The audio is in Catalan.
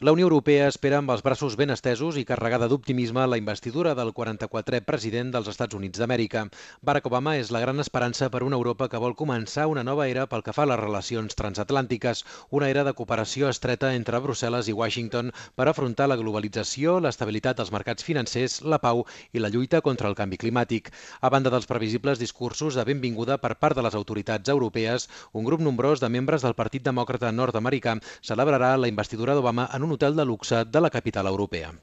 La Unió Europea espera amb els braços ben estesos i carregada d'optimisme la investidura del 44è president dels Estats Units d'Amèrica. Barack Obama és la gran esperança per una Europa que vol començar una nova era pel que fa a les relacions transatlàntiques, una era de cooperació estreta entre Brussel·les i Washington per afrontar la globalització, l'estabilitat dels mercats financers, la pau i la lluita contra el canvi climàtic. A banda dels previsibles discursos de benvinguda per part de les autoritats europees, un grup nombrós de membres del Partit Demòcrata nord-americà celebrarà la investidura d'Obama en un hotel de luxe de la capital europea.